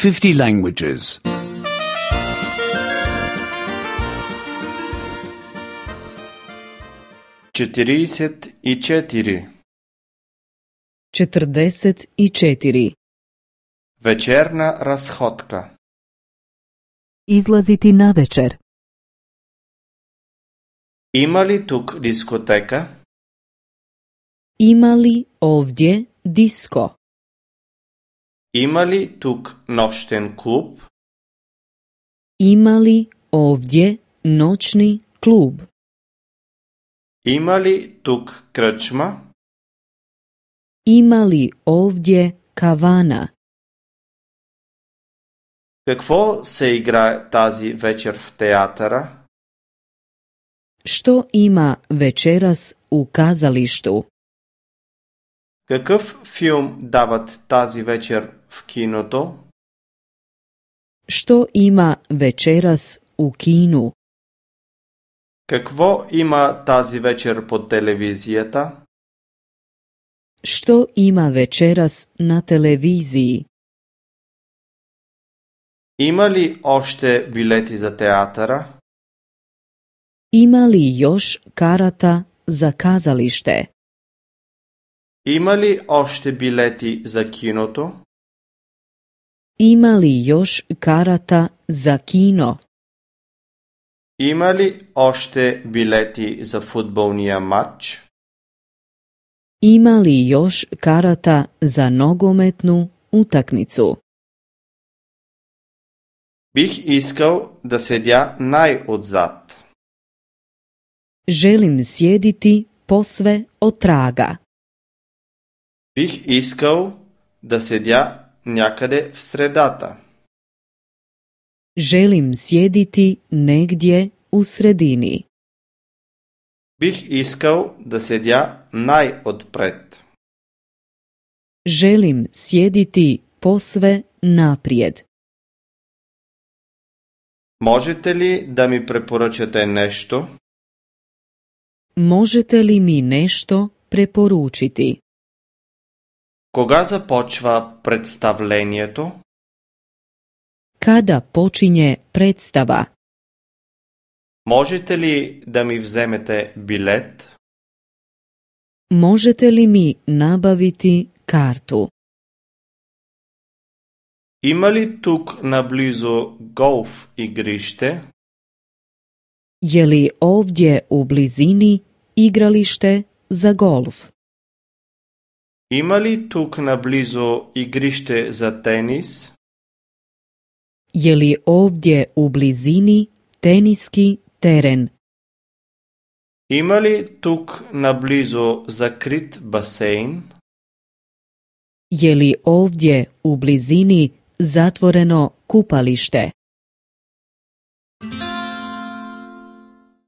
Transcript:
50 languages. 44. 44. Вечерна разходка. Izlaziti na večer. Има ли тук дискотека? Ima li ovdje disko? Има ли тук нощен клуб? Ima li ovdje noćni klub? Има ли тук кръчма? Ima li ovdje kavana? Какво се играе тази вечер в театъра? Što ima večeras u kazalištu? Какъв филм дават тази вечер в киното? Što ima večeras u kinu? Какво има тази вечер по телевизията? Što ima večeras na televiziji? Има ли още билети за театъра? Ima li još karata za kazalište? Има ли още билети за киното? Ima li još karata za kino? Има ли още билети за футболния матч? Ima li još karata za nogometnu utakmicu? Бих искал да седя най-отзад. Želim sjediti posve otraga. Бих искал да седя някъде в средата. Želim sjediti negdje u sredini. Бих искал да седя най-отпред. Želim sjediti posve naprijed. Можете ли да ми препоръчате нещо? Možete li mi nešto preporučiti? Кога започва представлението? Kada počinje predstava? Можете ли да ми вземете билет? Možete li mi nabaviti kartu? Има ли тук наблизо голф игрище? Je li ovdje u blizini igralište za golf? Има ли тук наблизо игрище за тенис? Je li ovdje u blizini teniski teren? Има ли тук наблизо закрит басейн? Je li ovdje u blizini zatvoreno kupalište?